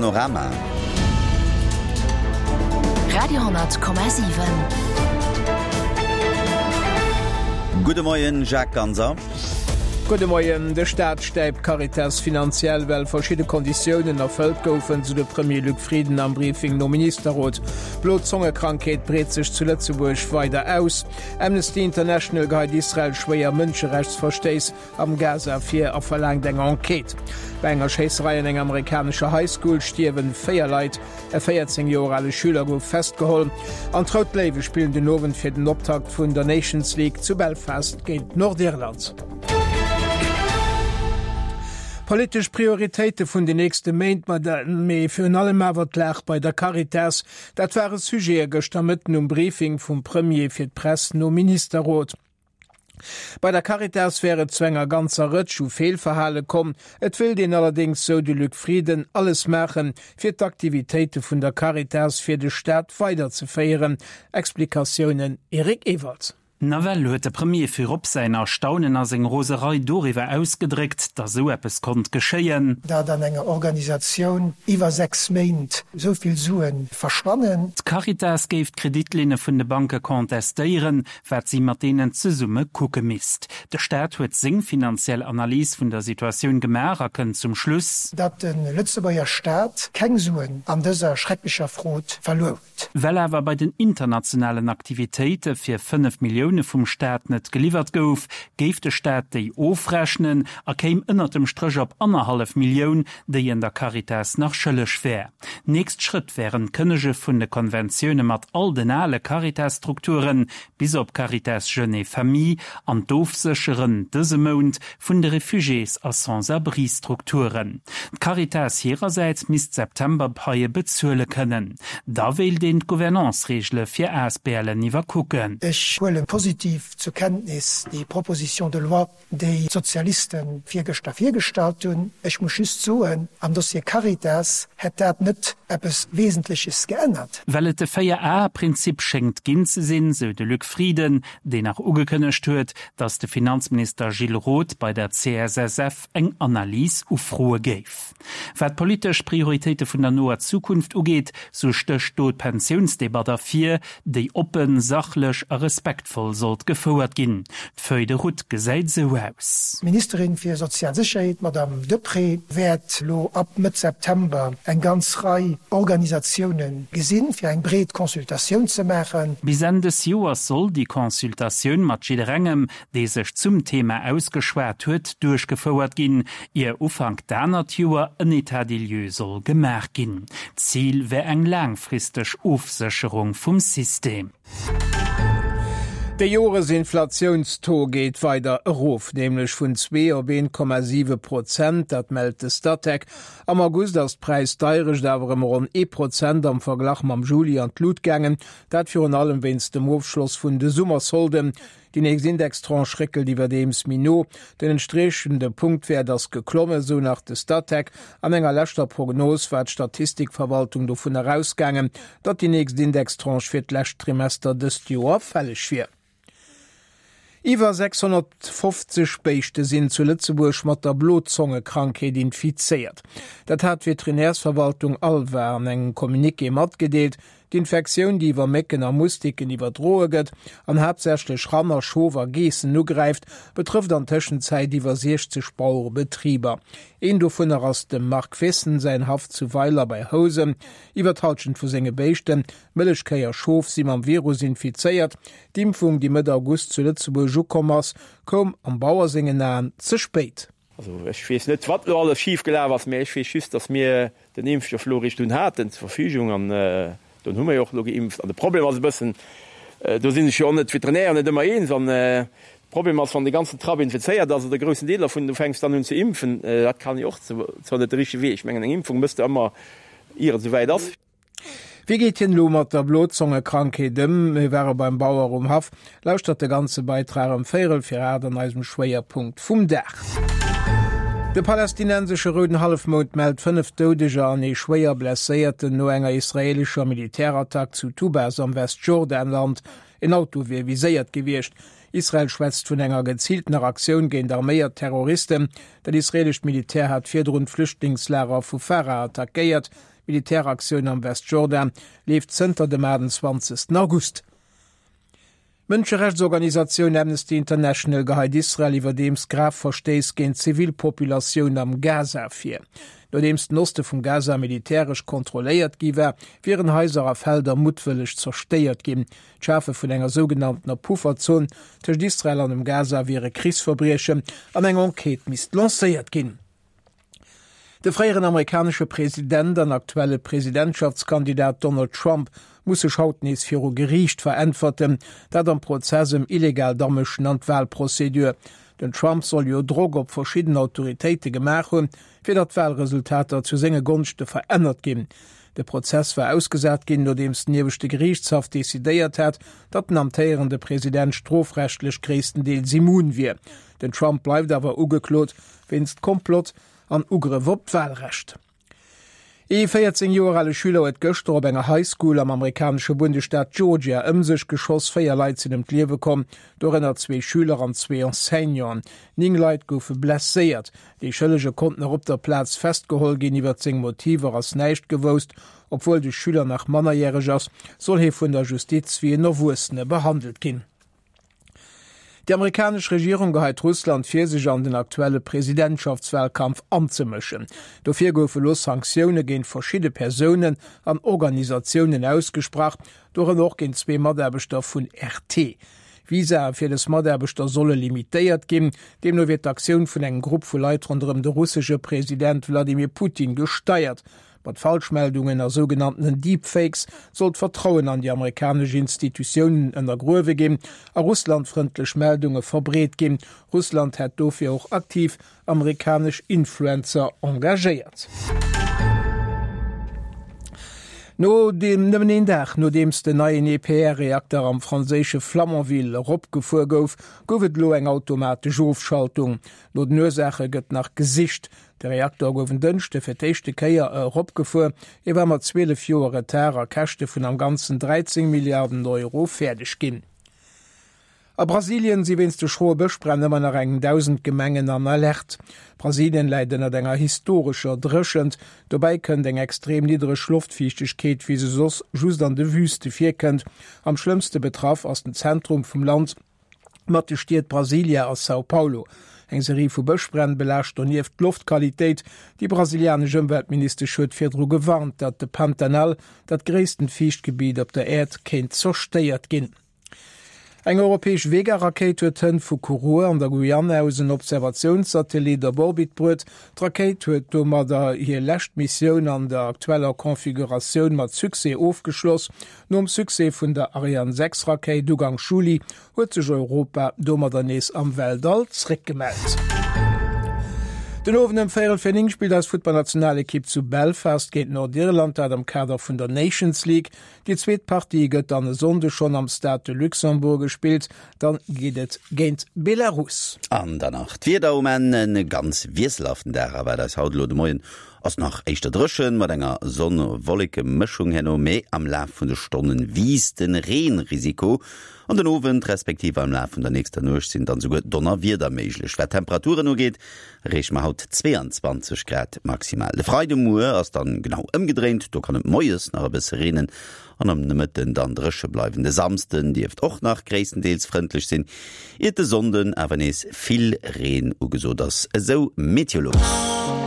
Panorama. Radio,7. Gudde Moien, Jacques Ganser. Gudde Moien. De Staat stäipt d'Caritas finanziell, well verschidde Konditiounen erfëllt goufen, sou de Premier Luc Frieden am Briefing nom Ministerrot. D'Blozongekrankheet breet sech zu Lëtzebuerg weider aus. Amnesty International geheit Israel schwéier Mënscherechtsverstéiss am Gaza vir a verlaangt eng Enquête. Bei enger Schéisserei an enger amerikanescher High School stierwen 4 Leit, e 14 Joer ale Schüler gouf festgeholl. An d'Rout Léiwe spillen den Owend fir den Optakt vun der Nations League zu Belfast géint Nordirland. Politesch Prioritéite vun den nächste Méint, mee virun allem awer d'Lag bei der Caritas, dat ware Sujete gëschter Mëtten um Briefing vum Premier fir d'Press nom Ministerrot. Bei der Caritas wär et zu enger ganzer Rëtsch u Feelverhale komm. Et wéilt een allerdéngs, sou de Luc Frieden, alles maachen, fir d'Aktivitéite vun der Caritas fir de Staat weiderzeféieren. Explikatiounen Eric Ewald. Nawell huet de Premier virop säin Erstaunen a seng Roserei doriwwer ausgedréckt, datt esou eppes konnt geschéien. Datt an enger Organisatioun iwwer 6 Méint esou vill Sue verschwannen. D'Caritas géif d'Kreditlinne vun de Banke contestéieren, wat si mat deenen zesumme kucke misst. De Staat huet seng finanziell Analys vun der Situatioun gemaach a kënnt zum Schluss. Datt de Lëtzebuerger Staat keng Suen an dëser schrecklecher Frod verluer huet. Well awer bei den internationalen Aktivitéite fir 5 Millioune vum Staat net geliwwert gouf, géif de Staat déi ofrechnen a kéim ënnert dem Stréch op annerhallef Millioun, déi en der Caritas nach schëlleg wär. Nächst Schrëtt wären d'Kënnege vun de Konventioune mat all den ale Caritas-Strukturen, bis op Caritas Jeunes et Familles, an d'Ofsécheren, dëse Mount, vun de Refugiés a Sans-abris-Strukturen. D'Caritas hirersäits misst d'September-Paie bezuele kënnen. Da wéilt een d'Gouvernance-Reegele fir ASBLen iwwerkucken. Ech huele positiv zur Kenntnis déi Proposition de loi, déi d'Sozialiste virgëschter virgestallt hunn. Ech muss just soen, am Dossier Caritas hätt dat net eppes Wesentleches geännert. Well et de Véier-Ae-Prinzip schéngt ginn ze sinn, sou de Luc Frieden, deen nach ugekënnegt huet, datt de Finanzminister Gilles Roth bei der CSSF eng Analys ufroe géif. Wat d'politesch Prioritéite vun der noer Zukunft ugeet, sou stécht do d'Pensiounsdebatt ervir, déi oppen, sachlech a respektvoll sollt gefouert ginn. D'Feuille de route gesäit esou aus. D'Ministerin fir sozial Sécherheet, d'Madame Deprez, wäert elo ab Mëtt September eng ganz Rei Organisatioune gesinn, fir eng breet Consultatioun ze maachen. Bis Enn des Joers soll déi Consultatioun mat jidderengem, dee sech zum Thema ausgeschwat huet, duerchgefouert ginn, ier Ufank d'anert Joer en État des lieux soll gemaach ginn. D'Zil wär eng laangfristeg Ofsécherung vum System. De Joresinflatiounstaux geet weider erof, nämlech vun 2 op 1,7 Prozent, dat mellt de Statec. Am August ass d'Präisdeierecht awer ëm ronn ee Prozent am Verglach mam Juli an d'Lut gaangen, dat virun allem wéinst dem Ofschloss vun de Summersolden. Déi nächst Indextranche réckelt iwwerdeems méi no. Den entspriechende Punktwäert ass geklommen, esou nach de Statec. An enger leschter Prognos war d'Statistikverwaltung dovun erausgaangen, datt déi nächst Indextranche fir d'lescht Trimester dëst Joer fälleg wier. Iwwer 650 Béischte sinn zu Lëtzebuerg mat der Blozongekrankheet infizéiert. Dat hat d'Veterinärsverwaltung ALVA an engem Communiqué matgedeelt. D'Infektioun, déi iwwer Mécken a Mustiken iwwerdroe gëtt an haaptsächlech Ranner, Schof a Geessen ugräift, betrëfft an Tëschenzäit iwwer 60 Bauerebetriber. Een dovunner ass dem Marc Vessen säin Haff zu Weiler bei Housen. Iwwer d'Hallschent vu senge Béischten, Mëllechkéi a Schof, si mam Virus infizéiert. D'Impfung, déi Mëtt August zu Lëtzebuerg ukomm ass, koum am Bauer sengen Aen ze spéit. Also ech weess net, wat elo alles schif gelaf ass, mä ech weess just, datt mir den Impfstoff elo eréischt dunn haten zur Verfügung an dunn hu mir jo och elo geimpft. An de Problem ass e bëssen, do si sech jo och net d'Veterinären net ëmmer eens, an de Problem ass, wann de ganzen Trapp infizéiert ass oder e groussen Deel dervun, du fänks dann un ze impfen, dat kann jo och zwar net de richtege Wee, ech mengen eng Impfung méchs de ëmmer ier et esouwäit ass. Wéi geet hien elo mat der Blozongekrankheet ëm? Mir ware beim Bauer um Haff. Lauschtert de ganze Beitrag ëm véierel fir 8 an eisem Schwéierpunkt vum Dag. De palästinensesche Rouden Hallefmound mellt 5 Doudeger an ee schwéier Blesséierten no enger israeelescher Militärattack zu Tubas am Westjordanland. En Auto wier viséiert gewiescht. Israel schwätzt vun enger geziiltener Aktioun géint arméiert Terroristen. Dat israeelescht Militär hat virdrun d'Flüchtlingslager vu Farah attackéiert. D'Militäraktioun am Westjordan leeft zënter dem 28 August. D'Mënscherechtsorganisatioun Amnesty International geheit Israel iwwerdeems grav Verstéiss géint d'Zivilpopulatioun am Gaza vir. Nodeems den Oste vum Gaza militäresch kontrolléiert gi war, wieren Haiser a Felder muttwëlleg zerstéiert ginn. D'Schafe vun enger sougenanntener Pufferzon tëscht Israel an dem Gaza wier e Krichsverbriechen an eng Enquête misst lancéiert ginn. De fréieren amerikanesche President an aktuelle Presidentschaftskandidat Donald Trump muss sech haut nees viru Geriicht veräntwerten, dat am Prozess ëm illegaalt Amëschen an d'Walprozedur. Den Trump soll jo Drock op verschidden Autoritéite gemaach hunn, fir datt d'Walresultater zu senge Gonschte verännert ginn. De Prozess war ausgesat ginn, nodeems den ieweschte Geriichtshaff decidéiert hat, datt den amtéierende President strofrechtlech gréisstendeels immun wier. Den Trump bleift awer ugeklot wéinst Komplott an Ugrëff op d'Walrecht. Ee 14 Joer ale Schüler huet gëschter op enger High School am amerikanesche Bundesstaat Georgia ëm sech geschoss. 4 Leit sinn ëm d'Liewe komm, dorënner zwee Schüler an zwee Enseignanten. 9 Leit goufe blesséiert. Dee Schëllege konnt nach op der Plaz festgeholl ginn. Iwwer seng Motiver ass näischt gewousst. Obwuel de Schüler nach mannerjäreg ass, soll hie vun der Justiz wéi en Erwuessene behandelt ginn. Déi amerikanesch Regierung geheit Russland vir, sech an den aktuelle Presidentschaftswalkampf anzemëschen. Dofir goufe elo Sanktioune géint verschidde Persounen an Organisatiounen ausgesprach, dorënner och géint zwee Mataarbechter vun RT. Visae fir dës Mataarbechter solle limitéiert ginn. Deemno wier d'Aktioun vun engem Grupp vu Leit ronderëm de russesche President Wladimir Putin gesteiert. Mat Falschmeldungen a sougenanntenen Deepfakes soll d'Vertrauen an déi amerikanesch Institutiounen ënnergruewe ginn a russlandfrëndlech Meldunge verbreet ginn. Russland hätt dofir och aktiv amerikanesch Influencer engagéiert. No deem nëmmen een Dag nodeems den neien EPR-Reakter am franséische Flamanville eropgefuer gouf, gouf et elo eng automatesch Ofschaltung. No den Ursaache gëtt nach gesicht. De Reakter gouf en Dënschde fir d'éischte Kéier eropgefuer. E war mat 12 Joer Retard a Käschte vun am Ganzen 13 Milliarden Euro fäerdeg ginn. A Brasilien si wéinst de schroe Bëschbränn ëmmer nach eng 1.000 Gemengen an Alerte. Brasilien läit ënnert enger historescher Dréchent. Dobäi kënnt eng extrem niddereg Loftfiichtegkeet, wéi se soss just an de Wüste virkënnt. Am schlëmmste betraff ass den Zentrum vum Land. Mat de Stied Brasilia a São Paulo. Eng Serie vu Bëschbränn belaascht donieft d'Loftqualitéit. Déi brasilianesch Ëmweltministesch huet virdru gewarnt, datt de Pantanal, dat gréissten Fiichtgebiet op der Äerd, kéint zerstéiert ginn. Eng europäesch Vega-Rakéit huet hënt vu Kourou an der Guyane aus en Observatiounssatellit op Orbit bruet. D'Rakéit huet domadder hir lescht Missioun an der aktueller Configuratioun mat Succès ofgeschloss. Nom Succès vun der Ariane 6 Rakéit Ugank Juli huet sech Europa domadder nees am Weltall zréckgemellt. Den Owend ëm véierel fir 9 spillt eis Futtballnationalekipp zu Belfast géint Nordirland, dat am Kader vun der Nations League. Déi zweet Partie gëtt dann e Sonnde schonn am Stade de Luxembourg gespillt, dann geet et géint Belarus. An dann nach d'Wieder um Enn, E ganz wiesselhaften Dag erwaart eis haut elo de Moien. Ass nach éischter dréchen, mat enger Sonn-Wolleke-Mëschung herno, mee am Laf vun de Stonne wiisst de Reenrisiko. An den Owend respektiv am Laf vun der nächster Nuecht sinn dann souguer Donnerwieder méiglech. Wat d'Temperaturen ugeet, erreeche mer haut 22 Grad maximal. De Freidemuer ass dann genau ëmgedréint, do kann et moies nach e bësse reenen an am Nomëtten dann dréche bleiwen. De Samsden dierft och nach gréisstendeels frëndlech sinn, iert de Sonnden awer nees vill Reen ugesot ass, esou Meteolux.